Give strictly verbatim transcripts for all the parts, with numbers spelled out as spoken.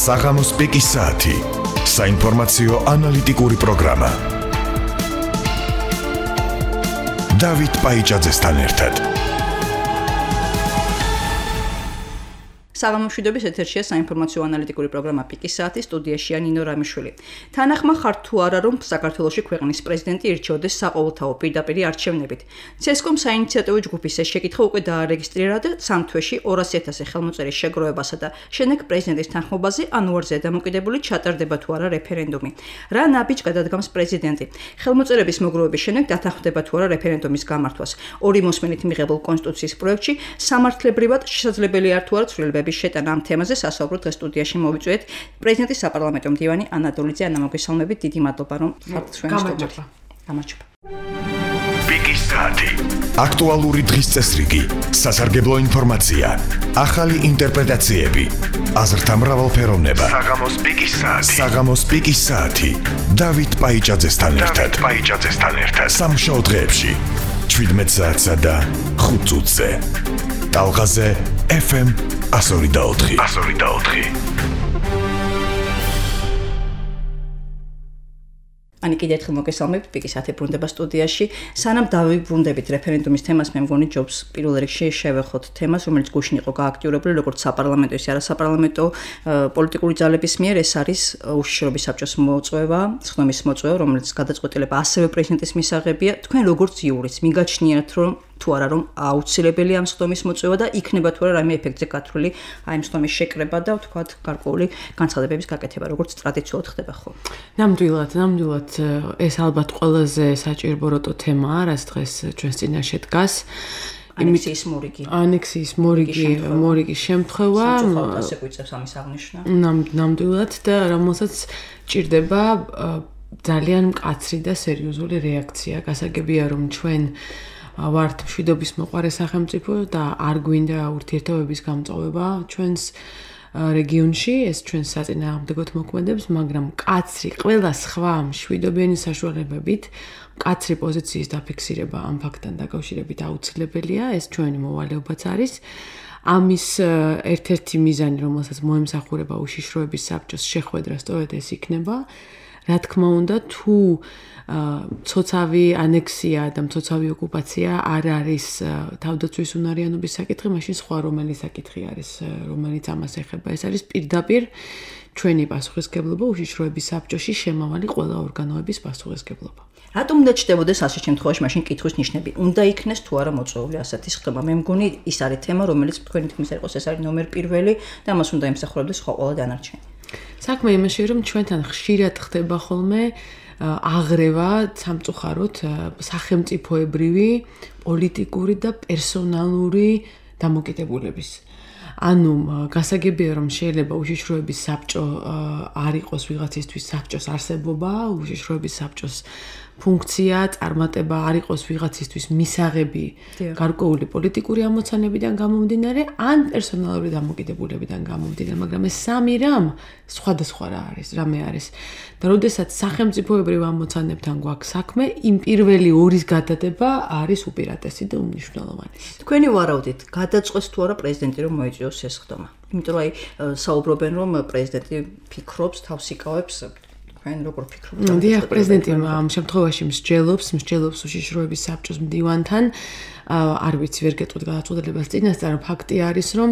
საღამოს პიკის საათი. საინფორმაციო ანალიტიკური პროგრამა. დავით პაიჭაძესთან ერთად. საღამომშვიდობის ეთერშია საინფორმაციო ანალიტიკური პროგრამა პიკის საათი, სტუდიაშია ნინო რამიშვილი. თანახმა ხარ თუ არა რომ საქართველოში ქვეყნის პრეზიდენტი ირჩეოდეს საყოველთაო პირდაპირი არჩევნებით. ცესკომ საინიციატივო ჯგუფის ეს შეკითხვა უკვე დაარეგისტრირა და სამ თვეში ორასი ათასი ხელმოწერის შეგროვებასა და შემდეგ პრეზიდენტის თანხმობაზე ანუარზე დამოკიდებული ჩატარდება თუ არა რეფერენდუმი. რა ნაბიჯს გადადგამს პრეზიდენტი? ხელმოწერების მოგროვების შემდეგ დათანხმდება თუ არა რეფერენდუმის გამართვას. ორი მოსმენით მიღებულ კონსტიტუციის პროექტში სამართლებრივად შესაძლებელი არ თუ არა ცვლილებები შეტანა ამ თემაზე სასაუბრო დღეს სტუდიაში მოვიწვიეთ პრეზიდენტის საპარლამენტო მდივანი ანა დოლიძე. ანა, მოგესალმებით, დიდი მადლობა რომ ხართ ჩვენი სტუდიაში. გამარჯობა. პიკის საათი. აქტუალური დღის წესრიგი, სასარგებლო ინფორმაცია, ახალი ინტერპრეტაციები, აზრთა მრავალფეროვნება. საღამოს პიკის საათი. საღამოს პიკის საათი. დავით პაიჭაძესთან ერთად. პაიჭაძესთან ერთად. სამშაბათო დღეებში შვიდმეტ საათსა და ხუთ წუთზე. ტალღაზე ეფ ემ one oh four. one oh four. Ani კიდევ ერთხელ მოგესალმებით პიკის საათი ბრუნდება სტუდიაში. სანამ დავიბრუნდებით რეფერენდუმის თემას, მე მგონი ჯობს პირველ რიგში შევეხოთ თემას, რომელიც გუშინ იყო გააქტიურებული, როგორც საპარლამენტო, ისე არასაპარლამენტო პოლიტიკური ძალების მიერ. ეს არის უშიშროების საბჭოს მოწვევა, სხდომის მოწვევა, რომელიც გადაწყვეტილება ასევე პრეზიდენტის მისაღებია. თქვენ როგორც იურისტ მიგაჩნიათ, რომ თუ არა რომ აუცილებელი ამ სხდომის მოწვევა და იქნება თუ არა რაიმე ეფექტზე გათვლილი აი ამ სხდომის შეკრება და ვთქვათ გარკვეული განცხადებების გაკეთება, როგორც ტრადიციულად ხდება ხო? ნამდვილად, ნამდვილად ეს ალბათ ყველაზე საჭიროებო თემაა, რაც დღეს ჩვენს წინაშე დგას. ანექსიის მორიგი. ანექსიის მორიგი, მორიგის შემთხვევა. სამწუხაროდ ასე გვიწევს ამის აღნიშვნა. ნამდვილად და რომელსაც ჭირდება ძალიან მკაცრი და სერიოზული რეაქცია. გასაგებია რომ ჩვენ ვართ მშვიდობის მოყარე სახელმწიფო და არ გვინდა ურთიერთობების გამწვავება ჩვენს რეგიონში, ეს ჩვენს საწინააღმდეგოდ მოქმედებს, მაგრამ მკაცრი ყველა სხვა მშვიდობიანი საშუალებებით მკაცრი პოზიციის დაფიქსირება ამ ფაქტთან დაკავშირებით აუცილებელია, ეს ჩვენი მოვალეობაც არის. ამის ერთ-ერთი მიზანი, რომელსაც მოემსახურება უშიშროების საბჭოს შეხვედრა, სწორედ ეს იქნება. რა თქმა უნდა, თუ ცოცავი ანექსია და მცოცავი ოკუპაცია არ არის თავდაცვის უნარიანობის საკითხი, მაშინ სხვა რომელი საკითხი არის, რომელიც ამას ეხება. ეს არის პირდაპირ ჩვენი პასუხისმგებლობა უშიშროების საბჭოში შემავალი ყველა ორგანოების პასუხისმგებლობა. რატომ უნდა ჩნდებოდეს ასე შემთხვევაში მაშინ კითხვის ნიშნები? უნდა იქნეს თუ არა მოწვეული ასეთი სხდომა? მე მგონი ის არის თემა, რომელიც თქვენი თქმის არ იყოს, ეს არის ნომერ პირველი და მას უნდა ემსახურებდეს სხვა ყველა დანარჩენი. საქმე იმაშია, რომ ჩვენთან ხშირად ხდება ხოლმე აღრევა სამწუხაროდ სახელმწიფოებრივი, პოლიტიკური და პერსონალური დამოკიდებულების. ანუ გასაგებია რომ შეიძლება უშიშროების საბჭო არ იყოს ვიღაცისთვის საბჭოს არსებობა, უშიშროების საბჭოს ფუნქცია, წარმატება არ იყოს ვიღაცისთვის მისაღები გარკვეული პოლიტიკური ამოცანებიდან გამომდინარე, ან პერსონალური დამოკიდებულებიდან გამომდინარე, მაგრამ ეს სამი რამ სხვადასხვა რა არის, რამე არის. და როდესაც სახელმწიფოებრივ ამოცანებთან გვაქვს საქმე, იმ პირველი ორის გადადება არის უპირატესი და უმნიშვნელოვანესი. თქვენი ვარაუდით, გადაწყვეტს თუ არა პრეზიდენტი რომ მოიწვიოს ეს სხდომა? იმიტომ რომ აი საუბრობენ რომ პრეზიდენტი ფიქრობს, თავს იკავებს. თქვენ როგორ ფიქრობთ? დიახ, პრეზიდენტი ამ შემთხვევაში მსჯელობს, მსჯელობს უშიშროების საბჭოს მდივანთან. არ ვიცი, ვერ გეტყვით გადაწყვეტილებას წინასწარ, ფაქტი არის, რომ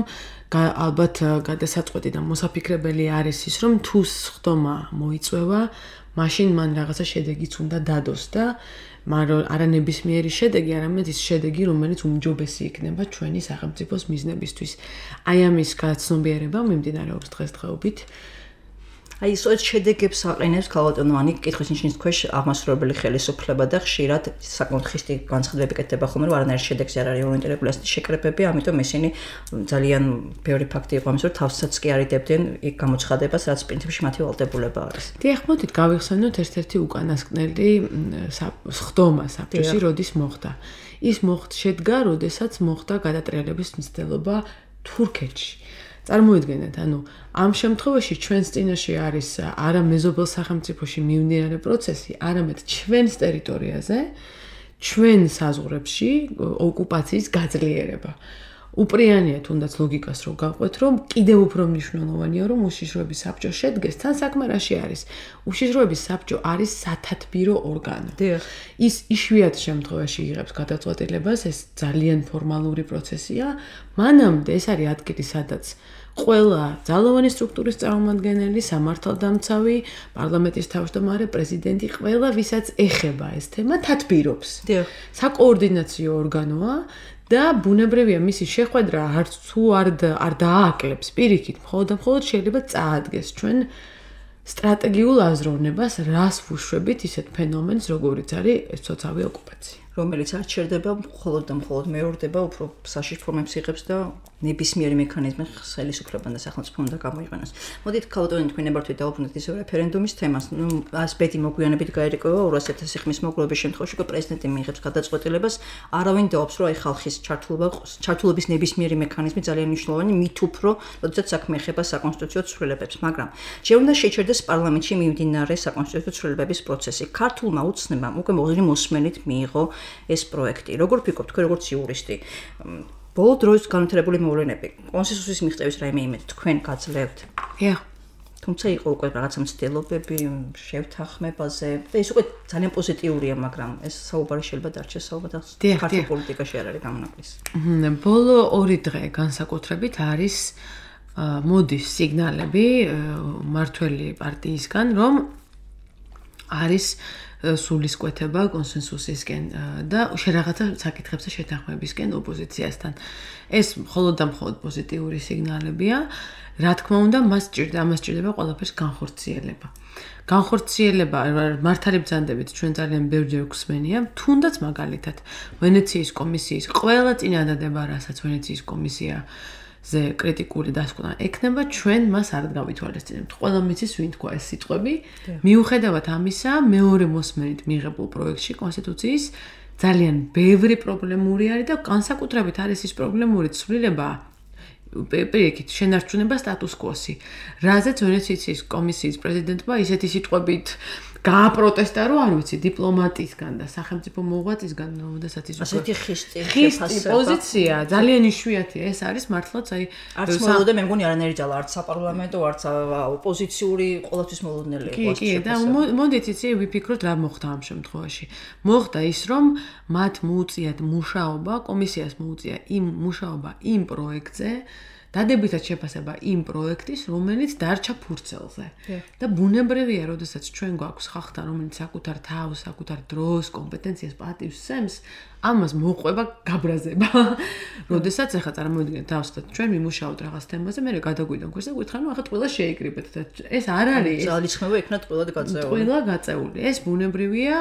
ალბათ გადასაწყვეტი და მოსაფიქრებელი არის ის, რომ თუ სხდომა მოიწვევა, მაშინ მან რაღაცა შედეგიც უნდა დადოს და მაგრამ არა ნებისმიერი შედეგი, არამედ ის შედეგი, რომელიც უმჯობესი იქნება ჩვენი სახელმწიფოს მიზნებისთვის. აი ამის გაცნობიერება მიმდინარეობს დღესდღეობით. აი ეს შედეგებს აყენებს ქალბატონოვანი კითხვის ნიშნის ქვეშ აღმასრულებელი ხელისუფლება და ხშირად საკმაოდ ხისტი განცხადებები კეთდება ხოლმე, რომ არანაირ შედეგს არ არის ორიენტირებული ასეთი შეკრებები, ამიტომ ისინი ძალიან ბევრი ფაქტი იყო ამის, რომ თავსაც კი არიდებდნენ იქ გამოცხადებას, რაც პრინციპში მათი ვალდებულება არის. დიახ, მოდით გავიხსენოთ ერთ-ერთი უკანასკნელი სხდომა საბჭოში, როდის მოხდა. ის მოხდა შედგა, როდესაც მოხდა გადატრიალების მცდელობა თურქეთში. წარმოიდგინეთ, ანუ ამ შემთხვევაში ჩვენს წინაშე არის არა მეზობელ სახელმწიფოში მიმდინარე პროცესი, არამედ ჩვენს ტერიტორიაზე, ჩვენ საზღვრებში ოკუპაციის გაძლიერება. უპრიანია თუნდაც ლოგიკას რო გავყვეთ, რომ კიდევ უფრო მნიშვნელოვანია, რომ უშიშროების საბჭო შედგეს, თან საქმე რაში არის? უშიშროების საბჭო არის სათათბირო ორგანო. ის იშვიათ შემთხვევაში იღებს გადაწყვეტილებას, ეს ძალიან ფორმალური პროცესია. მანამდე ეს არის ადგილი, სადაც ყველა ძალოვანი სტრუქტურის წარმომადგენელი, სამართალდამცავი, პარლამენტის თავმჯდომარე, პრეზიდენტი, ყველა ვისაც ეხება ეს თემა, თათბირობს. საკოორდინაციო ორგანოა და ბუნებრივია მისი შეხვედრა არც თუ არ არ დააკლებს პირიქით, მხოლოდ და მხოლოდ შეიძლება წაადგეს ჩვენ სტრატეგიულ აზროვნებას, რას ვუშვებით ისეთ ფენომენს, როგორიც არის ეს ცოცხალი ოკუპაცია. რომელიც არ ჩერდება მხოლოდ და მხოლოდ მეორდება, უფრო საშიშ ფორმებს იღებს და ნებისმიერი მექანიზმი ხელისუფლებამ და სახელმწიფომ უნდა გამოიყენოს. მოდით ქალბატონი თქვენ ნებართვით დავუბრუნდეთ ისევ რეფერენდუმის თემას. ნუ ასპეტი მოგვიანებით გაერკვევა ორასი ათასი ხმის მოგლობის შემთხვევაში, რომ პრეზიდენტი მიიღებს გადაწყვეტილებას, არავინ დაობს, რომ აი ხალხის ჩართულობა, ჩართულობის ნებისმიერი მექანიზმი ძალიან მნიშვნელოვანი, მით უფრო, როდესაც საქმე ეხება საკონსტიტუციო ცვლილებებს, მაგრამ ჯერ უნდა შეჩერდეს პარლამენტში მიმდინარე საკონსტიტუციო ცვლილებების პროცესი. ქართულმა უცნებამ უკვე მოღრმე მოსმენით მიიღო ეს პროექტი. როგორ ფიქრობთ თქვენ როგორც იურისტი? ბოლო დროის განვითარებული მოვლენები, კონსენსუსის მიღწევის რაიმე იმედი თქვენ გაძლევთ? Ja. თუმცა იყო უკვე რაღაცა მცდელობები შევთანხმებაზე და ის უკვე ძალიან პოზიტიურია, მაგრამ ეს საუბარი შეიძლება დარჩეს საუბარად ქართულ პოლიტიკაში არ არის გამონაკლისი. ბოლო ორი დღე განსაკუთრებით არის მოდის სიგნალები მართველი პარტიისგან, რომ არის სულისკვეთება კონსენსუსისკენ და შერაღაცა საკითხებზე შეთანხმებისკენ ოპოზიციასთან. ეს მხოლოდ და მხოლოდ პოზიტიური სიგნალებია. რა თქმა უნდა, მას ჭირდა, ამას ჭირდება ყველაფერს განხორციელება. განხორციელება მართალი ბრძანდებით ჩვენ ძალიან ბევრჯერ გვსმენია, თუნდაც მაგალითად ვენეციის კომისიის ყველა წინადადება, რასაც ვენეციის კომისია ზე კრიტიკული დასკვნა ექნება, ჩვენ მას არ გავითვალისწინებთ. ყველა მიცის ვინ თქვა ეს სიტყვები. მიუხედავად ამისა, მეორე მოსმენით მიღებულ პროექტში კონსტიტუციის ძალიან ბევრი პრობლემური არის და განსაკუთრებით არის ის პრობლემური ცვლილება პირიქით შენარჩუნება სტატუს კვოსი. რაზეც ვენეციის კომისიის პრეზიდენტმა ისეთი სიტყვებით გააპროტესტა, რომ არ ვიცი, დიპლომატისგან და სახელმწიფო მოღვაწისგან, როდესაც ის ასეთი ხისტი ხისტი პოზიცია ძალიან იშვიათია. ეს არის მართლაც აი არც მოლოდა მე მგონი არანაირი ძალა, არც საპარლამენტო, არც ოპოზიციური, ყოველთვის მოლოდნელი იყო. კი, კი, და მოდით იცი ვიფიქროთ რა მოხდა ამ შემთხვევაში. მოხდა ის, რომ მათ მოუწიათ მუშაობა, კომისიას მოუწია იმ მუშაობა იმ პროექტზე, დადებითად შეფასება იმ პროექტის, რომელიც დარჩა ფურცელზე. და ბუნებრივია, როდესაც ჩვენ გვაქვს ხალხთან, რომელიც საკუთარ თავს, საკუთარ დროს, კომპეტენციას პატივს სცემს, ამას მოყვება გაბრაზება. როდესაც ახლა წარმოვიდგინეთ თავს და ჩვენ ვიმუშაოთ რაღაც თემაზე, მე გადაგვიდონ ქოს და გითხარ, ნუ ახლა ყველა შეიკრიბეთ და ეს არ არის. ძალისხმევა იქნათ ყველა გაწეული. ყველა გაწეული. ეს ბუნებრივია,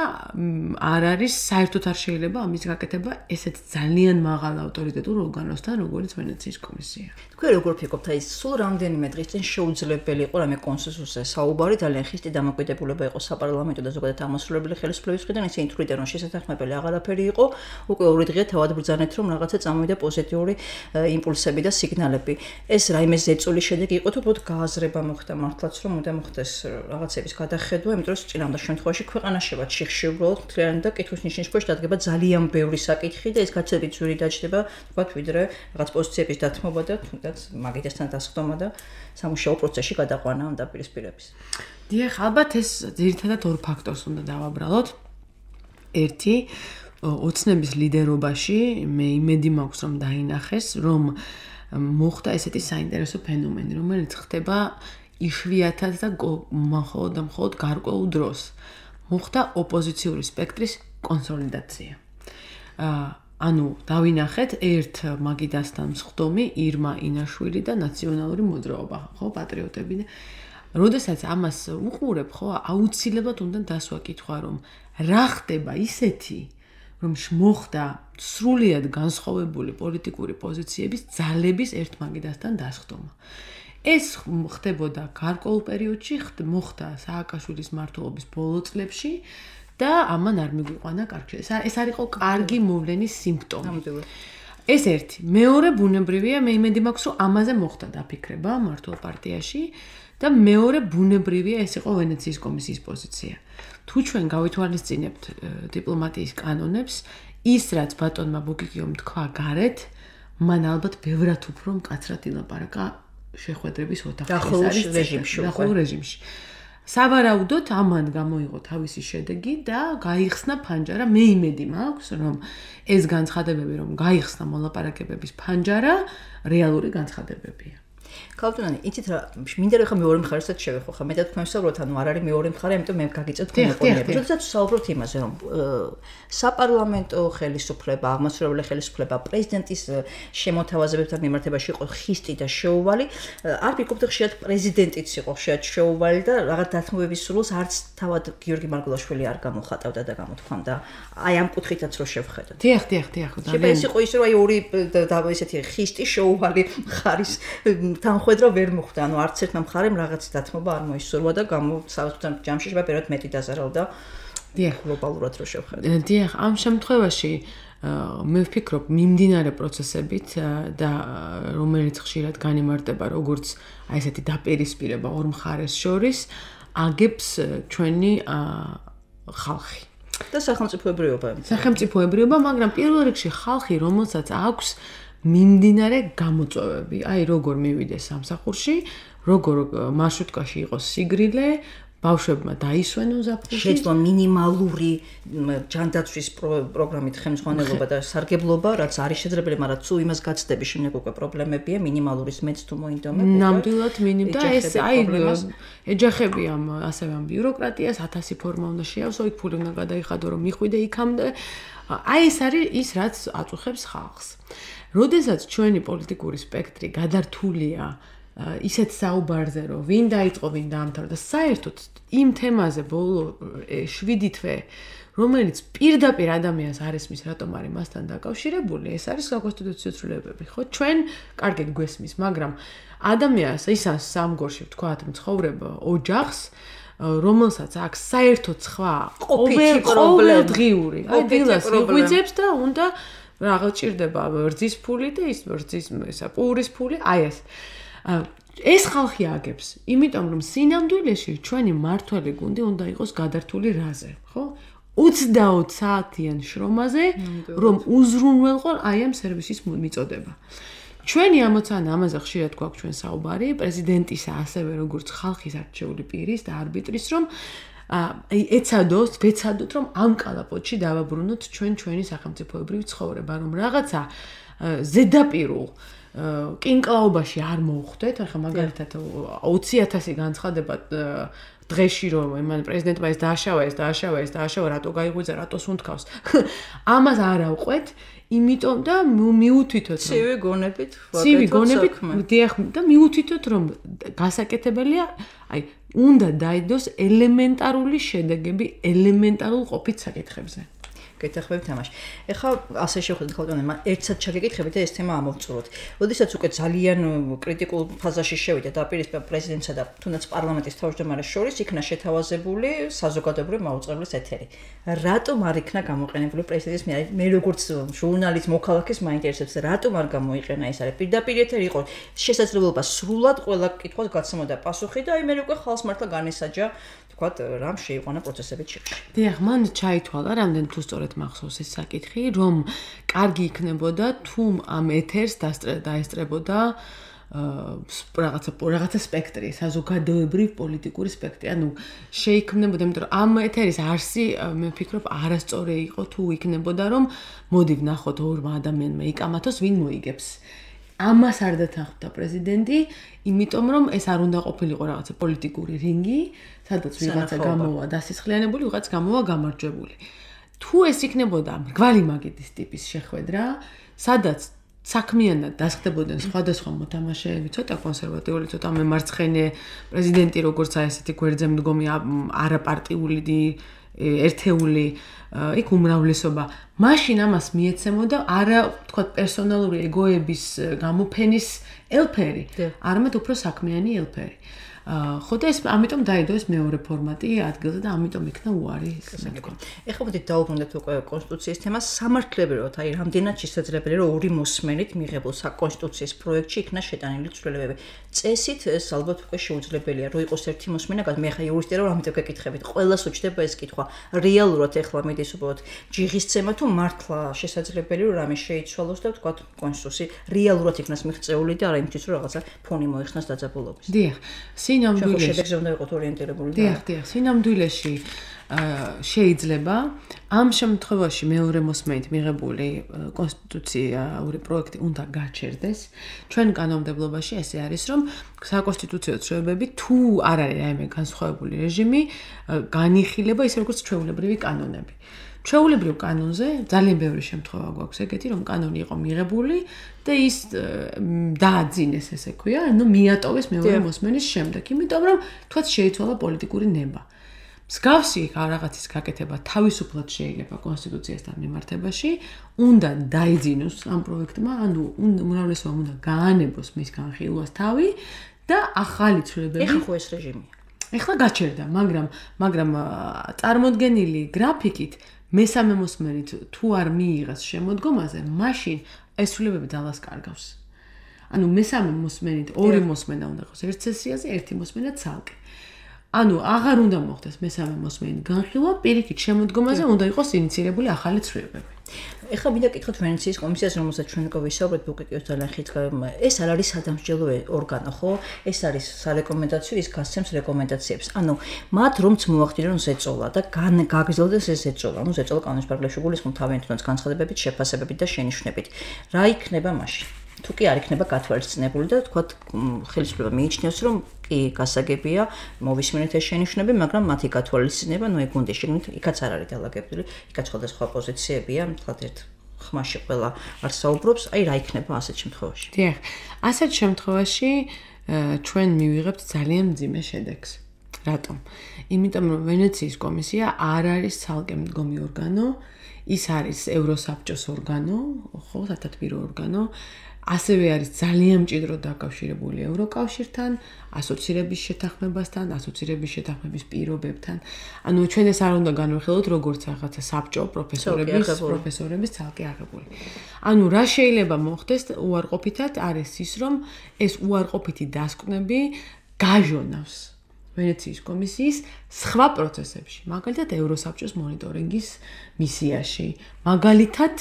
არ არის საერთოდ არ შეიძლება ამის გაკეთება ესეთ ძალიან მაღალ ავტორიტეტულ ორგანოსთან, როგორც ვენეციის კომისია. თქვენ როგორ ფიქრობთ, აი სულ რამდენიმე დღის წინ შეუძლებელი იყო რამე კონსენსუსზე საუბარი, ძალიან ხისტი დამოკიდებულება იყო საპარლამენტო და ზოგადად აღმასრულებელი ხელისუფლების მხრიდან, ისინი თვლიდნენ, რომ შესაძახმებელი აღარაფერი იყო. უკვე ორი დღეა თავად ბრძანეთ, რომ რაღაცა წამოვიდა პოზიტიური იმპულსები და სიგნალები. ეს რაიმე ზეწოლის შედეგი იყო, თუ უბრალოდ გააზრება მოხდა მართლაც, რომ უნდა მოხდეს რაღაცების გადახედვა, იმიტომ რომ წინამდელ შემთხვევაში ქვეყანა შევა ჩიხში უბრალოდ მთლიანად და კითხვის ნიშნის ქვეშ დადგება ძალიან ბევრი საკითხი და ეს გაცილებით ძვირი დაჯდება, თქვათ, ვიდრე რაღაც პოზიციების დათმობა და თუნდაც მაგიდასთან დასხდომა და სამუშაო პროცესში გადაყვანა ამ დაპირისპირების. დიახ, ალბათ ეს ძირითადად ორ ფაქტორს უნდა დავაბრალოთ. ერთი ოცნების ლიდერობაში მე იმედი მაქვს, რომ დაინახეს, რომ მოხდა ესეთი საინტერესო ფენომენი, რომელიც ხდება იშვიათად და მხოლოდ და მხოლოდ გარკვეულ დროს. მოხდა ოპოზიციური სპექტრის კონსოლიდაცია. ანუ დავინახეთ ერთ მაგიდასთან მსხდომი ირმა ინაშვილი და ნაციონალური მოძრაობა, ხო, პატრიოტები. როდესაც ამას უყურებ, ხო, აუცილებლად უნდა დასვა კითხვა, რომ რა ხდება ისეთი, რომ მოხდა სრულიად განსხვავებული პოლიტიკური პოზიციების ძალების ერთ მაგიდასთან დასხდომა. ეს ხდებოდა გარკვეულ პერიოდში, მოხდა სააკაშვილის მმართველობის ბოლო წლებში და ამან არ მიგვიყვანა კარგი. ეს არ იყო კარგი მოვლენის სიმპტომი. ეს ერთი. მეორე ბუნებრივია, მე იმედი მაქვს, რომ ამაზე მოხდა დაფიქრება მმართველ პარტიაში და მეორე ბუნებრივია, ეს იყო ვენეციის კომისიის პოზიცია. თუ ჩვენ გავითვალისწინებთ დიპლომატიის კანონებს, ის რაც ბატონმა ბუგიგიომ თქვა გარეთ, მან ალბათ ბევრად უფრო მკაცრად ილაპარაკა შეხვედრების ოთახში. დახურულ რეჟიმში. დახურულ რეჟიმში. სავარაუდოდ ამან გამოიღო თავისი შედეგი და გაიხსნა ფანჯარა. მე იმედი მაქვს, რომ ეს განცხადებები, რომ გაიხსნა მოლაპარაკებების ფანჯარა, რეალური განცხადებებია. ქალბატონი, იცით რა, მინდა რომ ხა მეორე მხარესაც შევეხო, ხა მეტად თქვენ ვსაუბრობთ, ანუ არ არის მეორე მხარე, ამიტომ მე გაგიწევთ თქვენ ოპონენტებს. როდესაც ვსაუბრობთ იმაზე, რომ საპარლამენტო ხელისუფლება, აღმასრულებელი ხელისუფლება პრეზიდენტის შემოთავაზებებთან მიმართებაში იყო ხისტი და შეუვალი, არ ვიკობთ ხშირად პრეზიდენტიც იყო ხშირად შეუვალი და რაღაც დათმობების სრულს არც თავად გიორგი მარგულაშვილი არ გამოხატავდა და გამოთქვამდა. აი ამ კუთხითაც რო შევხედოთ. დიახ, დიახ, დიახ. შეიძლება ის იყო ის რომ აი ორი ესეთი ხისტი შეუვალი მხარის თანხმედრა ვერ მოხდა, ანუ არც ერთმა მხარემ რაღაც დათმობა არ მოისურვა და გამოსავსთან ჯამში შეიძლება პერიოდ მეტი დაზარავდა. დიახ, გლობალურად რო შევხედოთ. დიახ, ამ შემთხვევაში მე ვფიქრობ მიმდინარე პროცესებით და რომელიც ხშირად განიმარტება როგორც აი ესეთი დაპირისპირება ორ მხარეს შორის, აგებს ჩვენი ხალხი. და სახელმწიფოებრიობა. სახელმწიფოებრიობა, მაგრამ პირველ რიგში ხალხი, რომელსაც აქვს მიმდინარე გამოწვევები, აი როგორ მივიდეს სამსახურში, როგორ მარშრუტკაში იყოს სიგრილე, ბავშვებმა დაისვენონ ზაფხულში, შეძლო მინიმალური ჯანდაცვის პროგრამით ხელმძღვანელობა და სარგებლობა, რაც არის შეძლებელია, მაგრამ თუ იმას გაცდების შემდეგ უკვე პრობლემებია, მინიმალურის მეც თუ მოინდომებ. ნამდვილად მინიმ და ეს აი ეჯახები ამ ასევე ამ ბიუროკრატიას, ათასი ფორმა უნდა შეავსო, იქ ფული უნდა გადაიხადო, რომ მიხვიდე იქამდე. აი ეს არის ის, რაც აწუხებს ხალხს. როდესაც ჩვენი პოლიტიკური სპექტრი გადართულია ისეთ საუბარზე, რომ ვინ დაიწყო, ვინ დაამთავრა და საერთოდ იმ თემაზე ბოლო შვიდი თვე, რომელიც პირდაპირ ადამიანს არ ესმის, რატომ არის მასთან დაკავშირებული, ეს არის საკონსტიტუციო ცვლილებები, ხო? ჩვენ კარგად გვესმის, მაგრამ ადამიანს ისას სამგორში ვთქვათ, მცხოვრება ოჯახს რომელსაც აქვს საერთოდ სხვა ყოველდღიური, აი დილას იღვიძებს და უნდა რაღაც ჭირდება ვერძის ფული და ის ვერძის ესა პურის ფული, აი ეს. ეს ხალხი აგებს, იმიტომ რომ სინამდვილეში ჩვენი მართველი გუნდი უნდა იყოს გადართული რაზე, ხო? ოცდაოთხ საათიან შრომაზე, რომ უზრუნველყო აი ამ სერვისის მიწოდება. ჩვენი ამოცანა ამაზე ხშირად გვაქვს ჩვენ საუბარი, პრეზიდენტისა ასევე როგორც ხალხის არჩეული პირის და არბიტრის, რომ აი ეცადოს, ვეცადოთ, რომ ამ კალაპოტში დავაბრუნოთ ჩვენ ჩვენი სახელმწიფოებრივი ცხოვრება, რომ რაღაცა ზედაპირულ კინკლაობაში არ მოვხვდეთ, ახლა მაგალითად ოცი ათასი განცხადება დღეში რომ მან პრეზიდენტმა ეს დააშავა, ეს დააშავა, ეს დააშავა, რატო გაიღვიძა, რატო სუნთქავს. ამას არ ავყვეთ, იმიტომ და მიუთითოთ რომ ცივი გონებით ვაკეთოთ ცივი გონებით დიახ და მიუთითოთ რომ გასაკეთებელია, აი უნდა დაიდოს ელემენტარული შედეგები ელემენტარულ ყოფით საკითხებზე. გეთახმებით თამაში. ეხლა ასე შევხედოთ ხალხთან, ერთსად ჩაგეკითხებით და ეს თემა ამოვწუროთ. როდესაც უკვე ძალიან კრიტიკულ ფაზაში შევიდა დაპირისპირება პრეზიდენტსა და თუნდაც პარლამენტის თავმჯდომარეს შორის, იქნა შეთავაზებული საზოგადოებრივი მაუწყებლის ეთერი. რატომ არ იქნა გამოყენებული პრეზიდენტის მიერ? მე როგორც ჟურნალისტ მოქალაქეს მაინტერესებს, რატომ არ გამოიყენა ეს არის პირდაპირ ეთერი იყო შესაძლებლობა სრულად ყველა კითხვას გაცნობა პასუხი და აი მე უკვე ხალხს მართლა განესაჯა ვთქვათ, რამ შეიყვანა პროცესებით შეში. დიახ, მან ჩაითვალა რამდენ თუ სწორედ მახსოვს ეს საკითხი, რომ კარგი იქნებოდა თუ ამ ეთერს დაესწრებოდა რაღაცა რაღაცა სპექტრი, საზოგადოებრივი პოლიტიკური სპექტრი. ანუ შეიქმნებოდა, იმიტომ რომ ამ ეთერის არსი მე ვფიქრობ არასწორი იყო თუ იქნებოდა, რომ მოდი ვნახოთ ორმა ადამიანმა იკამათოს, ვინ მოიგებს. ამას არ დათანხმდა პრეზიდენტი, იმიტომ რომ ეს არ უნდა ყოფილიყო რაღაცა პოლიტიკური რინგი, სადაც ვიღაცა გამოვა დასისხლიანებული, ვიღაც გამოვა გამარჯვებული. თუ ეს იქნებოდა მრგვალი მაგიდის ტიპის შეხვედრა, სადაც საქმიანად დასხდებოდნენ სხვადასხვა მოთამაშეები, ცოტა კონსერვატიული, ცოტა მემარცხენე პრეზიდენტი, როგორც აი ესეთი გვერდზე მდგომი არაპარტიული ერთეული იქ უმრავლესობა, მაშინ ამას მიეცემოდა არა თქვა პერსონალური ეგოების გამოფენის ელფერი, არამედ უფრო საქმიანი ელფერი. ხო და ეს ამიტომ დაიდო ეს მეორე ფორმატი ადგილზე და ამიტომ იქნა უარი. ეხლა მოდი დავუბრუნდეთ უკვე კონსტიტუციის თემას. სამართლებრივად, აი რამდენად შესაძლებელია რომ ორი მოსმენით მიღებულ საკონსტიტუციის პროექტში იქნა შეტანილი ცვლილებები. წესით ეს ალბათ უკვე შეუძლებელია, რომ იყოს ერთი მოსმენა, მე ხა იურისტია რომ ამიტომ გეკითხებით. ყველას უჩნდება ეს კითხვა. რეალურად ეხლა მიდის უბრალოდ ჯიღისცემა თუ მართლა შესაძლებელი რომ რამე შეიცვალოს და ვთქვათ კონსტიტუცია რეალურად იქნას მიღწეული და არა იმისთვის რომ რაღაცა ფონი მოიხსნას დაძაბულობის. დიახ, სინამდვილეში შედეგზე უნდა იყოთ ორიენტირებული. დიახ, დიახ, სინამდვილეში შეიძლება ამ შემთხვევაში მეორე მოსმენით მიღებული კონსტიტუციური პროექტი უნდა გაჩერდეს. ჩვენ კანონმდებლობაში ესე არის, რომ საკონსტიტუციო ცვლილებები თუ არ არის რაიმე განსხვავებული რეჟიმი, განიხილება ისე როგორც ჩვეულებრივი კანონები. ჩვეულებრივ კანონზე ძალიან ბევრი შემთხვევა გვაქვს ეგეთი, რომ კანონი იყო მიღებული და ის დააძინეს, ესე ქვია, ანუ მიატოვეს მეორე მოსმენის შემდეგ, იმიტომ რომ თქვათ შეიცვალა პოლიტიკური ნება. მსგავსი რაღაცის გაკეთება თავისუფლად შეიძლება კონსტიტუციასთან მიმართებაში, უნდა დაიძინოს ამ პროექტმა, ანუ უმრავლესობამ უნდა გაანებოს მის განხილვას თავი და ახალი ცვლილებები. ეხლა ხო ეს რეჟიმია. ეხლა გაჩერდა, მაგრამ მაგრამ წარმოდგენილი გრაფიკით მესამე მოსმენით თუ არ მიიღეს შემოდგომაზე, მაშინ ეს ცვლილებები ძალას კარგავს. ანუ მესამე მოსმენით ორი მოსმენა უნდა იყოს ერთ სესიაზე, ერთი მოსმენა ცალკე. ანუ აღარ უნდა მოხდეს მესამე მოსმენით განხილვა, პირიქით შემოდგომაზე უნდა იყოს ინიცირებული ახალი ცვლილებები. ეხლა მინდა კითხოთ ვენეციის კომისიას, რომელსაც ჩვენ უკვე ვისაუბრეთ, ბუკიკიოს ძალიან ხიცხავ, ეს არ არის სადამსჯელო ორგანო, ხო? ეს არის სარეკომენდაციო, ის გასცემს რეკომენდაციებს. ანუ მათ რომც მოახდინონ ზეწოლა და გაგრძელდეს ეს ზეწოლა. ანუ ზეწოლა კანონის პარაგრაფში გულისხმობ თავიანთი განცხადებებით, შეფასებებით და შენიშვნებით. რა იქნება მაშინ? თუ კი არ იქნება გათვალისწინებული და თქვათ ხელისუფლება მიიჩნევს, რომ კი გასაგებია მოვისმენთ ეს შენიშვნები, მაგრამ მათი გათვალისწინება, ნუ ეგ უნდა შეგნით, იქაც არ არის დალაგებული, იქაც სხვადასხვა პოზიციებია, თქვათ ერთ ხმაში ყველა არ საუბრობს, აი რა იქნება ასეთ შემთხვევაში. დიახ, ასეთ შემთხვევაში ჩვენ მივიღებთ ძალიან მძიმე შედეგს. რატომ? იმიტომ რომ ვენეციის კომისია არ არის ცალკე მდგომი ორგანო, ის არის ევროსაბჭოს ორგანო, ხო, სათათბირო ორგანო. ასევე არის ძალიან მჭიდროდ დაკავშირებული ევროკავშირთან, ასოცირების შეთანხმებასთან, ასოცირების შეთანხმების პირობებთან. ანუ ჩვენ ეს არ უნდა განვიხილოთ როგორც რაღაცა საბჭო პროფესორების, პროფესორების ცალკე აღებული. ანუ რა შეიძლება მოხდეს უარყოფითად არის ის, რომ ეს უარყოფითი დასკვნები გაჟონავს ვენეციის კომისიის სხვა პროცესებში, მაგალითად ევროსაბჭოს მონიტორინგის მისიაში, მაგალითად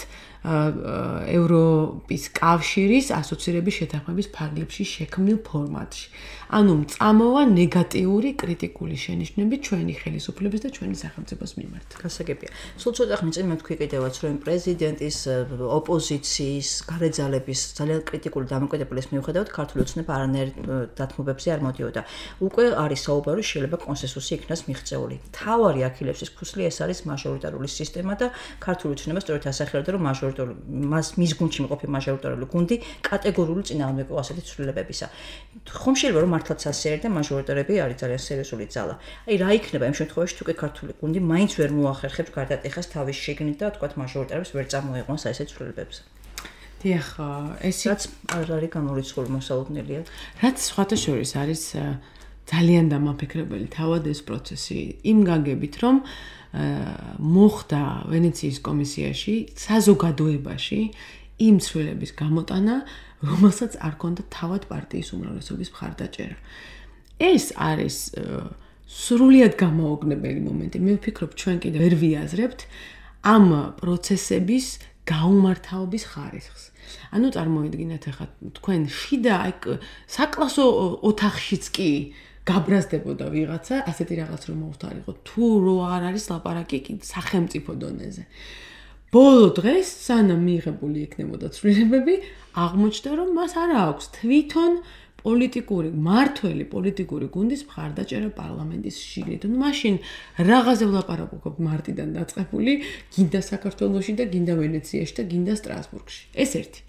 ევროპის კავშირის ასოცირების შეთანხმების ფარგლებში შექმნილ ფორმატში. ანუ მწამოვა ნეგატიური კრიტიკული შენიშვნები ჩვენი ხელისუფლების და ჩვენი სახელმწიფოს მიმართ. გასაგებია. სულ ცოტა ხნის წინ მეთქვი კიდევაც, რომ პრეზიდენტის, ოპოზიციის, გარეძალების ძალიან კრიტიკული დამოკიდებულების მიუხედავად ქართული ოცნება არანაირ დათმობებზე არ მოდიოდა. უკვე არის საუბარი, შეიძლება კონსენსუსი იქნას მიღწეული. თავარი აქილევსის ქუსლი ეს არის მაჟორიტარული სისტემა და ქართული ოცნება სწორედ ასახელებდა, რომ მაჟორიტარული მას მის გუნდში მყოფი მაჟორიტარული გუნდი კატეგორიული წინააღმდეგო ასეთი ცვლილებებისა. ხომ შეიძლება რომ მართლაც ასე არის და მაჟორიტარები არის ძალიან სერიოზული ძალა. აი რა იქნება იმ შემთხვევაში თუ კი ქართული გუნდი მაინც ვერ მოახერხებს გარდატეხას თავის შიგნით და თქვათ მაჟორიტარებს ვერ წარმოიყვანს აი ესეთ ცვლილებებზე. დიახ, ეს რაც არ არის გამორიცხული მოსალოდნელია. რაც სხვათა შორის არის ძალიან დამაფიქრებელი თავად ეს პროცესი იმ გაგებით, რომ მოხდა ვენეციის კომისიაში საზოგადოებაში იმ ცვლილების გამოტანა, რომელსაც არ ქონდა თავად პარტიის უმრავლესობის მხარდაჭერა. ეს არის სრულიად გამოუგნებელი მომენტი. მე ვფიქრობ, ჩვენ კიდევ ვერ ვიაზრებთ ამ პროცესების გაუმართავობის ხარისხს. ანუ წარმოიდგინეთ ახლა თქვენ შიდა ეგ საკლასო ოთახშიც კი გაბრაზდებოდა ვიღაცა, ასეთი რაღაც რომ მოვთარიღოთ, თუ რო არ არის ლაპარაკი სახელმწიფო დონეზე. ბოლო დღეს, სანამ მიღებული იქნებოდა ცვლილებები, აღმოჩნდა, რომ მას არ აქვს თვითონ პოლიტიკური, მართველი პოლიტიკური გუნდის მხარდაჭერა პარლამენტის შიგნით. ნუ მაშინ რაღაცე ვლაპარაკობ მარტიდან დაწყებული, გინდა საქართველოში და გინდა ვენეციაში და გინდა სტრასბურგში. ეს ერთი.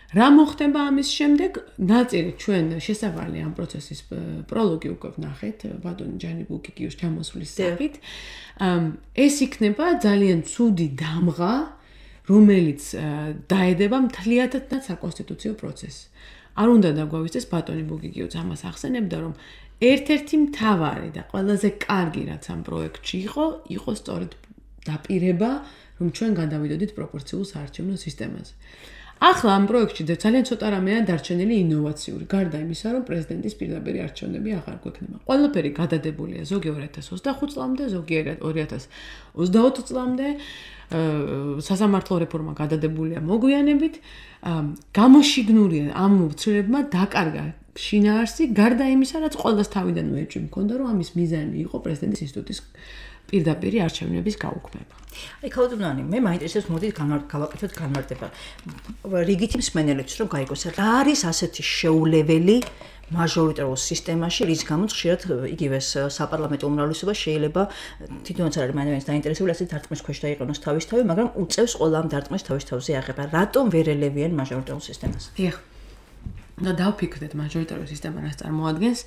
რა მოხდება ამის შემდეგ? ნაწილი ჩვენ შესავალი ამ პროცესის პროლოგი უკვე ვნახეთ ბატონი ჯანი ბუკიკიოს ჩამოსვლის სახით. ეს იქნება ძალიან ცუდი დამღა, რომელიც დაედება მთლიანად საკონსტიტუციო პროცესს. არ უნდა დაგვავიწყდეს ბატონი ბუკიკიოც ამას ახსენებდა, რომ ერთ-ერთი მთავარი და ყველაზე კარგი რაც ამ პროექტში იყო, იყო სწორედ დაპირება, რომ ჩვენ გადავიდოდით პროპორციულ საარჩევნო სისტემაზე. ახლა ამ პროექტში ძალიან ცოტა რამეა დარჩენილი ინოვაციური, გარდა იმისა, რომ პრეზიდენტის პირდაპირი არჩევნები აღარ გვექნება. ყველაფერი გადადებულია ზოგი ორი ათას ოცდახუთ წლამდე, ზოგი ორი ათას ოცდაოთხ წლამდე. სასამართლო რეფორმა გადადებულია მოგვიანებით. გამოშიგნურია ამ უცრებმა დაკარგა შინაარსი, გარდა იმისა, რაც ყველას თავიდანვე ეჭვი მქონდა, რომ ამის მიზანი იყო პრეზიდენტის ინსტიტუტის პირდაპირი არჩევნების გაუქმება. აი ქალბატონი, მე მაინტერესებს მოდით გავაკეთოთ განმარტება. რიგითი მსმენელებს რომ გაიგოს, რა არის ასეთი შეულეველი მაჟორიტარულ სისტემაში, რის გამოც ხშირად იგივე საპარლამენტო უმრავლესობა შეიძლება თვითონაც არ არის მაინც დაინტერესებული ასეთ დარტყმის ქვეშ დაიყენოს თავისთავად, მაგრამ უწევს ყველა ამ დარტყმის თავისთავზე აღება. რატომ ვერ ელევიან მაჟორიტარულ სისტემას? დიახ. და დავფიქრდეთ მაჟორიტარულ სისტემა რას წარმოადგენს.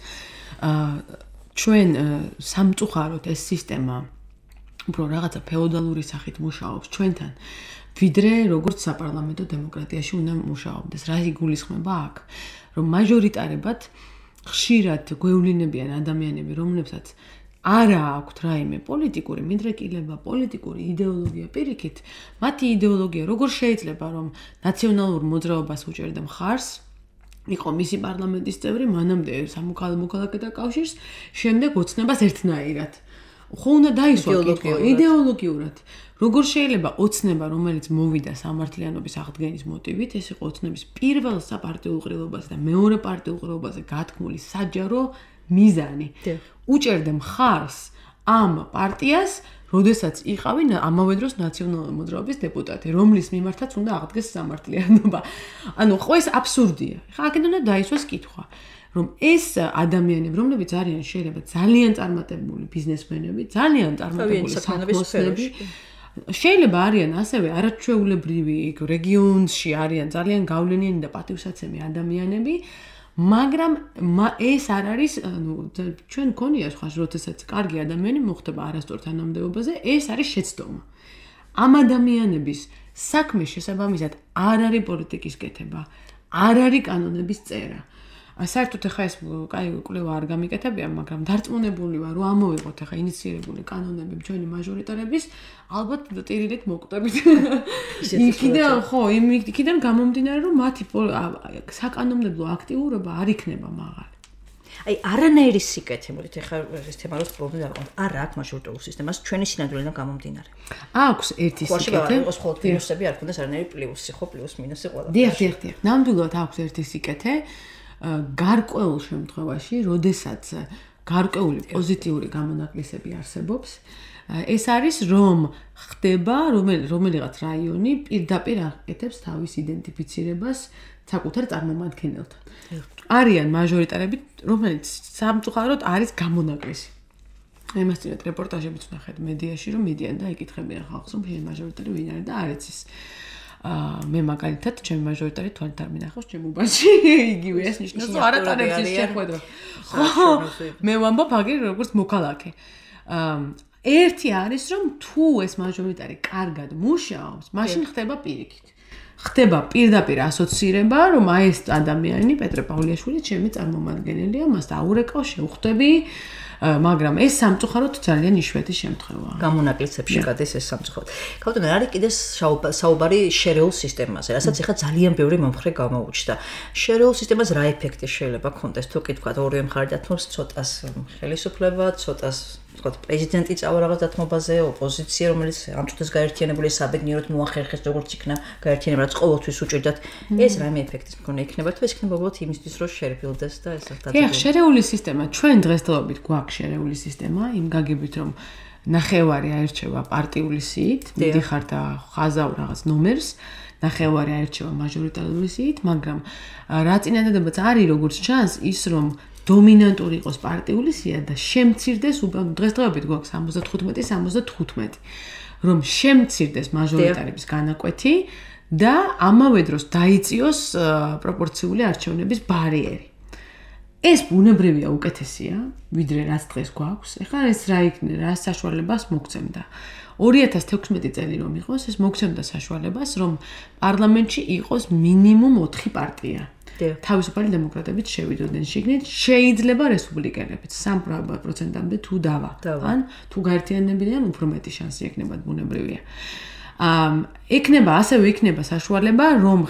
აა ჩვენ სამწუხაროდ ეს სისტემა უფრო რაღაცა ფეოდალური სახით მუშაობს ჩვენთან, ვიდრე როგორც საპარლამენტო დემოკრატიაში უნდა მუშაობდეს. რა იგულისხმება აქ? რომ მაჟორიტარებად ხშირად გვევლინებიან ადამიანები, რომლებსაც არა აქვთ რაიმე პოლიტიკური მიდრეკილება, პოლიტიკური იდეოლოგია პირიქით, მათი იდეოლოგია როგორ შეიძლება რომ ნაციონალურ მოძრაობას უჭერდა მხარს, იყო მისი პარლამენტის წევრი, მანამდე სამოქალაქეთა კავშირს, შემდეგ ოცნებას ერთნაირად. ხო უნდა დაისვა კითხვა იდეოლოგიურად. როგორ შეიძლება ოცნება, რომელიც მოვიდა სამართლიანობის აღდგენის მოტივით, ეს იყო ოცნების პირველ საპარტიულ ყრილობაზე და მეორე პარტიულ ყრილობაზე გათქმული საჯარო მიზანი. უჭერდა მხარს ამ პარტიას, როდესაც იყავი ამავე დროს ნაციონალური მოძრაობის დეპუტატი, რომლის მიმართაც უნდა აღდგეს სამართლიანობა. ანუ ხო ეს აბსურდია. ხა აქედან უნდა დაისვას კითხვა. რომ ეს ადამიანები, რომლებიც არიან შეიძლება ძალიან წარმატებული ბიზნესმენები, ძალიან წარმატებული საქმიანობები, შეიძლება არიან ასევე არაჩვეულებრივი რეგიონში არიან ძალიან გავლენიანი და პატივსაცემი ადამიანები, მაგრამ ეს არ არის, ანუ ჩვენ გქონია სხვა როდესაც კარგი ადამიანი მოხდება არასწორ თანამდებობაზე, ეს არის შეცდომა. ამ ადამიანების საქმის შესაბამისად არ არის პოლიტიკის კეთება, არ არის კანონების წერა. საერთოდ ახლა ეს კაი კვლევა არ გამიკეთებია, მაგრამ დარწმუნებული ვარ, რომ ამოვიღოთ ახლა ინიციირებული კანონები ჩვენი მაჟორიტარების, ალბათ ტირილით მოკვდებით. იქიდან ხო, იქიდან გამომდინარე, რომ მათი საკანონმდებლო აქტიურობა არ იქნება მაღალი. აი არანაირი სიკეთე, მოდით ახლა ეს თემა რო პრობლემა დავყოთ. არა აქვს მაჟორიტარულ სისტემას ჩვენი სინამდვილიდან გამომდინარე. აქვს ერთი სიკეთე. იყოს მხოლოდ პლუსები, არ ქონდეს არანაირი პლუსი, ხო, პლუს მინუსი ყველა. დიახ, დიახ, დიახ. ნამდვილად აქვს ერთი სიკეთე. გარკვეულ შემთხვევაში, როდესაც გარკვეული პოზიტიური გამონაკლისები არსებობს, ეს არის რომ ხდება რომელიღაც რაიონი პირდაპირ აკეთებს თავის იდენტიფიცირებას საკუთარ წარმომადგენელთან. არიან მაჟორიტარები, რომელიც სამწუხაროდ არის გამონაკლისი. იმას წინათ რეპორტაჟებიც ვნახეთ მედიაში, რომ მიდიან და იკითხებიან ხალხს, რომ შენ მაჟორიტარი ვინ არის და არ იცის. აა მე მაგალითად ჩემი მაჟორიტარი თვალით არ მინახავს ჩემ უბანში იგივე ეს ნიშნავს რომ არ ატარებს ის შეხვედრა. ხო მე ვამბობ აგერ როგორც მოქალაქე. აა ერთი არის რომ თუ ეს მაჟორიტარი კარგად მუშაობს, მაშინ ხდება პირიქით. ხდება პირდაპირ ასოცირება, რომ აი ეს ადამიანი პეტრე პავლიაშვილი ჩემი წარმომადგენელია, მას დაურეკავ, შევხვდები. მაგრამ ეს სამწუხაროდ ძალიან იშვიათი შემთხვევაა. გამონაკლისებში გადის ეს სამწუხაროდ. ქალბატონო, არის კიდე საუბარი შერეულ სისტემაზე, რასაც ახლა ძალიან ბევრი მომხრე გამოუჩნდა. შერეულ სისტემას რა ეფექტი შეიძლება ქონდეს, თუ კი თქვა ორივე მხარე დათმობს ცოტას ხელისუფლება, ცოტას ვთქვათ, პრეზიდენტი წავა რაღაც დათმობაზე, ოპოზიცია, რომელიც ამ წუთას გაერთიანებული საბედნიეროდ მოახერხეს როგორც იქნა გაერთიანება, რაც ყოველთვის უჭირდათ. ეს რაიმე ეფექტის მქონე იქნება, თუ ეს იქნება უბრალოდ იმისთვის, რომ შერეფილდეს და ეს ერთად. დიახ, შერეული სისტემა, ჩვენ დღესდღეობით გვაქვს შერეული სისტემა, იმ გაგებით რომ ნახევარი აირჩევა პარტიული სიით, მიდიხარ და ხაზავ რაღაც ნომერს, ნახევარი აირჩევა მაჟორიტარული სიით, მაგრამ რა წინადადებაც არის როგორც ჩანს, ის რომ დომინანტური იყოს პარტიული სია და შემცირდეს დღესდღეობით გვაქვს ორმოცდათხუთმეტი სამოცდათხუთმეტი რომ შემცირდეს მაჟორიტარების განაკვეთი და ამავე დროს დაიწიოს პროპორციული არჩევნების ბარიერი. ეს ბუნებრივია უკეთესია, ვიდრე რაც დღეს გვაქვს. ეხლა ეს რა იქნება, რა საშუალებას მოგცემდა. ორი ათას თექვსმეტი წელი რომ იყოს, ეს მოგცემდა საშუალებას, რომ პარლამენტში იყოს მინიმუმ ოთხი პარტია. თავისუფალი დემოკრატებიც შევიდოდნენ შიგნით, შეიძლება რესპუბლიკელებიც სამი პროცენტამდე თუ დავა. ან თუ გაერთიანებიდან უფრო მეტი შანსი ექნებათ, ბუნებრივია. ამ ექნება, ასევე იქნება საშუალება, რომ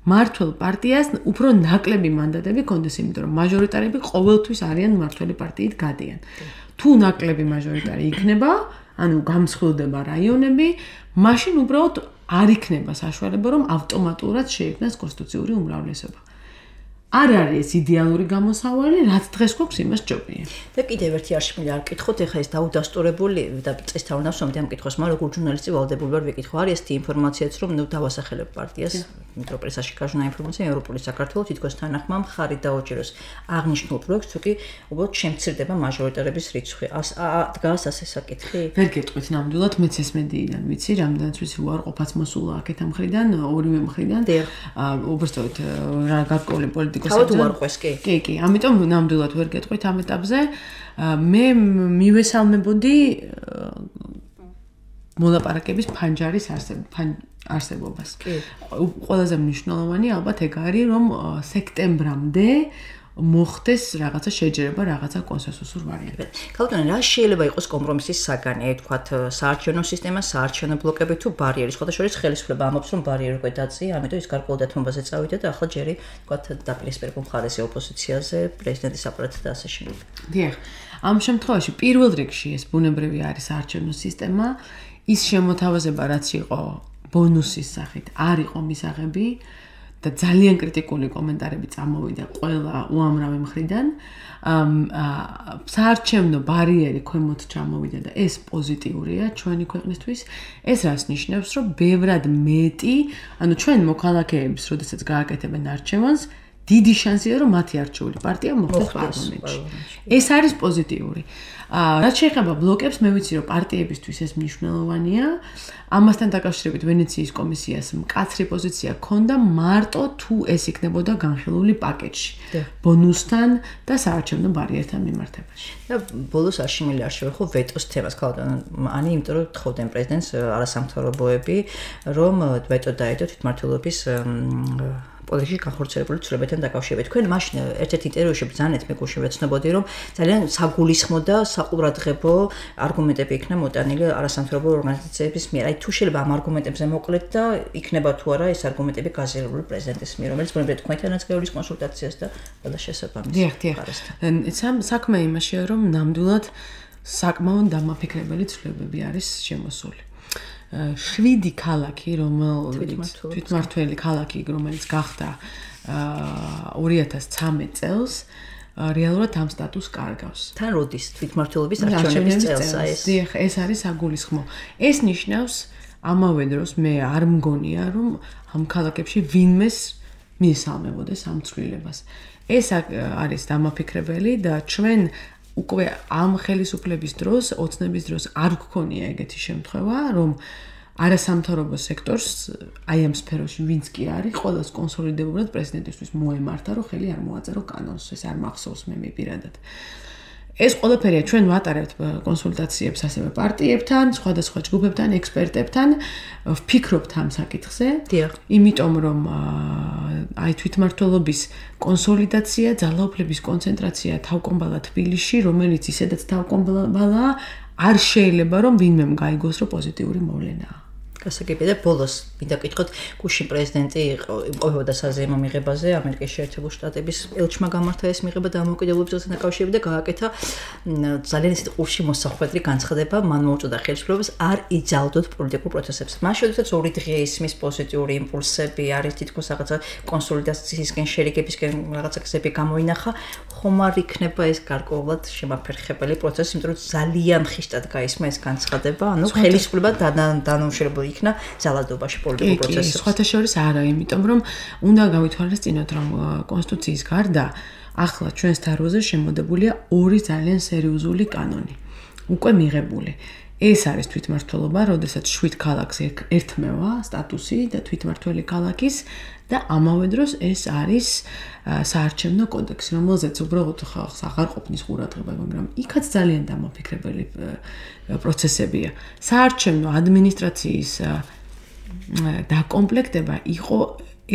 მართლ პარტიას უფრო ნაკლები მანდატები კონდეს, იმიტომ რომ მაჟორიტარები ყოველთვის არიან მართველი პარტიით გადიან. თუ ნაკლები მაჟორიტარი იქნება, ანუ გამსხვილდება რაიონები, მაშინ უბრალოდ არ იქნება საშუალება, რომ ავტომატურად შეიქმნას კონსტიტუციური უმრავლესობა. არ არის იდეალური გამოსავალი, რაც დღეს გვაქვს იმას ჯობია. და კიდევ ერთი არშმული არ ვკითხოთ, ეხლა ეს დაუდასტურებული და წესთავრ ნავსომდე ამ კითხვას, მაგრამ როგორ ჟურნალისტი ვალდებული ვარ ვიკითხო, არის ესეთი ინფორმაციაც, რომ ნუ დავასახელებ პარტიას, იმიტომ რომ პრესაში გაჟნა ინფორმაცია, ევროპული საქართველოს თითქოს თანახმა მხარი დაუჭიროს აღნიშნულ პროექტს, თუ კი უბრალოდ შემცირდება მაჟორიტარების რიცხვი. დგას ასე საკითხი? ვერ გეტყვით ნამდვილად, მეც ეს მედიიდან ვიცი, რამდენიც ვიცი, უარყოფაც მოსულა აქეთ ამ მხრიდან, ორივე მხრიდან. უბრალოდ რა გარკვეული პოლიტიკა თავად უარყვეს კი. კი, კი, ამიტომ ნამდვილად ვერ გეტყვით ამ ეტაპზე. მე მივესალმებოდი მოლაპარაკების ფანჯარის არსებობას. ყველაზე მნიშვნელოვანი ალბათ ეგ არის, რომ სექტემბრამდე მოხდეს რაღაცა შეჯერება, რაღაცა კონსენსუსურ ვარიანტად. ქალბატონო, რა შეიძლება იყოს კომპრომისის საგანი, აი თქვათ საარჩევნო სისტემა, საარჩევნო ბლოკები თუ ბარიერი, სხვათა შორის ხელისუფლება ამბობს, რომ ბარიერი უკვე დაწია, ამიტომ ის გარკვეულ დათმობაზე წავიდა და ახლა ჯერი თქვათ დაპირისპირებულ მხარეზე ოპოზიციაზე, პრეზიდენტის აპარატზე და ასე შემდეგ. დიახ. ამ შემთხვევაში პირველ რიგში ეს ბუნებრივი არის საარჩევნო სისტემა, ის შემოთავაზება, რაც იყო ბონუსის სახით, არ იყო მისაღები. და ძალიან კრიტიკული კომენტარები წამოვიდა ყველა უამრავი მხრიდან. საარჩევნო ბარიერი ქვემოთ ჩამოვიდა და ეს პოზიტიურია ჩვენი ქვეყნისთვის. ეს რას ნიშნავს, რომ ბევრად მეტი, ანუ ჩვენ მოქალაქეებს, როდესაც გააკეთებენ არჩევანს, დიდი შანსია, რომ მათი არჩეული პარტია მოხდეს პარლამენტში. ეს არის პოზიტიური. რაც შეეხება ბლოკებს, მე ვიცი, რომ პარტიებისთვის ეს მნიშვნელოვანია. ამასთან დაკავშირებით ვენეციის კომისიას მკაცრი პოზიცია ჰქონდა მარტო თუ ეს იქნებოდა განხილული პაკეტში. ბონუსთან და საარჩევნო ბარიერთან მიმართებაში. და ბოლოს არშიმილი არ შევეხო ვეტოს თემას, ქალბატონო, ani, იმიტომ რომ თხოვდნენ პრეზიდენტს არასამთავრობოები, რომ ვეტო დაედო თვითმმართველობის პოლიტიკაში განხორციელებული ცვლილებებთან დაკავშირებით. თქვენ მაშინ ერთ-ერთ ინტერვიუში ბრძანეთ, მე გუშინ ვეცნობოდი, რომ ძალიან საგულისხმო და საყურადღებო არგუმენტები იქნა მოტანილი არასამთავრობო ორგანიზაციების მიერ. აი თუ შეიძლება ამ არგუმენტებზე მოკლედ და იქნება თუ არა ეს არგუმენტები გაზიარებული პრეზიდენტის მიერ, რომელიც ბუნებრივად თქვენთანაც გაივლის კონსულტაციას და ყველა შესაბამის. დიახ, დიახ. საქმე იმაშია, რომ ნამდვილად საკმაოდ დამაფიქრებელი ცვლილებები არის შემოსული. შვიდი ქალაქი, რომელიც თვითმმართველი ქალაქი, რომელიც გახდა ორი ათას ცხრამეტ წელს, რეალურად ამ სტატუსს კარგავს. თან როდის თვითმმართველობის არჩევნების წელსა ეს? დიახ, ეს არის საგულისხმო. ეს ნიშნავს ამავე დროს მე არ მგონია, რომ ამ ქალაქებში ვინმეს მიესალმებოდეს ამ ცვლილებას. ეს არის დამაფიქრებელი და ჩვენ უკვე ამ ხელისუფლების დროს, ოცნების დროს არ გქონია ეგეთი შემთხვევა, რომ არასამთავრობო სექტორს აი ამ სფეროში ვინც კი არის, ყოველს კონსოლიდებულად პრეზიდენტისთვის მოემართა, რომ ხელი არ მოაწერო კანონს, ეს არ მახსოვს მე მიპირადად. ეს ყველაფერია ჩვენ ვატარებთ კონსულტაციებს ასევე პარტიებთან, სხვადასხვა ჯგუფებთან, ექსპერტებთან, ვფიქრობთ ამ საკითხზე. იმიტომ რომ აი თვითმმართველობის კონსოლიდაცია, ძალაუფლების კონცენტრაცია თავკომბალა თბილისში, რომელიც ისედაც თავკომბალაა, არ შეიძლება რომ ვინმემ გაიგოს, რომ პოზიტიური მოვლენაა. გასაგებია და ბოლოს მინდა გითხოთ, გუშინ პრეზიდენტი იმყოფებოდა საზეიმო მიღებაზე, ამერიკის შეერთებული შტატების ელჩმა გამართა ეს მიღება დამოუკიდებლობასთან დაკავშირებით და გააკეთა ძალიან ისეთი ყურში მოსახვედრი განცხადება, მან მოუწოდა ხელისუფლებას არ იძალდოთ პოლიტიკურ პროცესებს. მაშინ როდესაც ორი დღე ისმის პოზიტიური იმპულსები, არის თითქოს რაღაცა კონსოლიდაციისკენ, შერიგებისკენ რაღაცა გზები გამოინახა, ხომ არ იქნება ეს გარკვეულად შემაფერხებელი პროცესი, იმიტომ რომ ძალიან ხისტად გაისმა ეს განცხადება, ანუ ხელისუფლება დანაუშენებელი იქნა ძალადობაში პოლიტიკურ პროცესებში. სხვათა შორის არა, იმიტომ რომ უნდა გავითვალისწინოთ, რომ კონსტიტუციის გარდა ახლა ჩვენს თაროზე შემოდებულია ორი ძალიან სერიოზული კანონი. უკვე მიღებული. ეს არის თვითმმართველობა, როდესაც შვიდ ქალაქს ერთმევა სტატუსი და თვითმმართველი ქალაქის და ამავე დროს ეს არის საარჩევნო კოდექსი, რომელზეც უბრალოდ ხალხს აღარ ყოფნის ყურადღება, მაგრამ იქაც ძალიან დამაფიქრებელი პროცესებია. საარჩევნო ადმინისტრაციის დაკომპლექტება იყო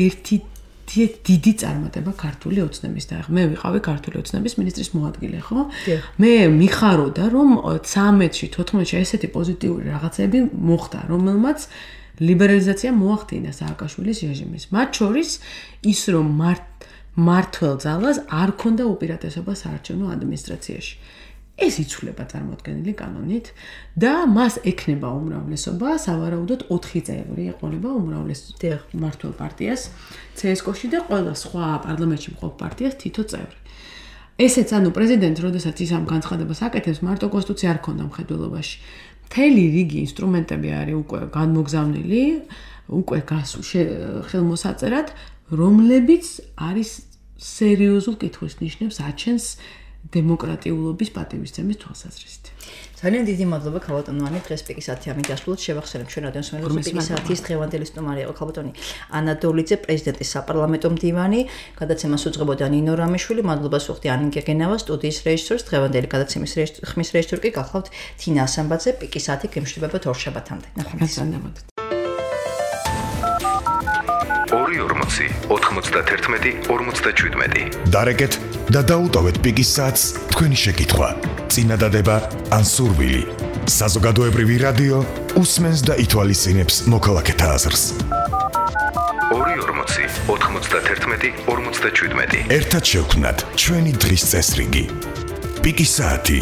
ერთი დიდი წარმატება ქართული ოცნების და მე ვიყავი ქართული ოცნების მინისტრის მოადგილე, ხო? მე მიხაროდა, რომ ცამეტში, თოთხმეტში ესეთი პოზიტიური რაღაცები მოხდა, რომელმაც ლიბერალიზაცია მოახდინა სააკაშვილის რეჟიმის. მათ შორის ის, რომ მართლ ძალას არ ქონდა უპირატესობა საარჩევნო ადმინისტრაციაში. ეს იცვლება წარმოქმნილი კანონით და მას ექნება უმრავლესობა, სავარაუდოდ ოთხი წევრი ეყოლება უმრავლეს მმართველ პარტიას ცე-ეს-კოში და ყველა სხვა პარლამენტში მყოფ პარტიას თითო წევრი. ესეც ანუ პრეზიდენტს, როდესაც ის ამ განცხადებას აკეთებს, მარტო კონსტიტუცია არ ქონდა მხედველობაში. მთელი რიგი ინსტრუმენტები არის უკვე განმოგზავნილი, უკვე ხელმოსაწერად, რომლებიც არის სერიოზულ კითხვის ნიშნებს აჩენს დემოკრატიულობის პატივისცემის თვალსაზრისით. ძალიან დიდი მადლობა ქალბატონოვანი, დღეს პიკის ათი ამით დასრულოთ. შევახსენებ ჩვენ რადიოს მეგობრებს, პიკის ათის დღევანდელი სტუმარი იყო ქალბატონი ანა დოლიძე, პრეზიდენტის საპარლამენტო მდივანი. გადაცემას უძღვებოდა ნინო რამიშვილი. მადლობას ვუხდი ანინ გეგენავა, სტუდიის რეჟისორს. დღევანდელი გადაცემის ხმის რეჟისორი კი გახლავთ თინა ასამბაძე. პიკის ათი გემშვიდობებათ ორშაბათამდე. ნახვამდის. ორი ორმოცი ოთხმოცდაათი ორმოცდაშვიდმეტი დარეკეთ და დაუტოვეთ პიკის საათს თქვენი შეკითხვა, წინადადება ან სურვილი. საზოგადოებრივი რადიო უსმენს და ითვალისწინებს მოქალაქეთა აზრს. ორი ორმოცი ოთხმოცდაათი ორმოცდაშვიდმეტი ერთად შევქმნათ ჩვენი დღის წესრიგი. პიკის საათი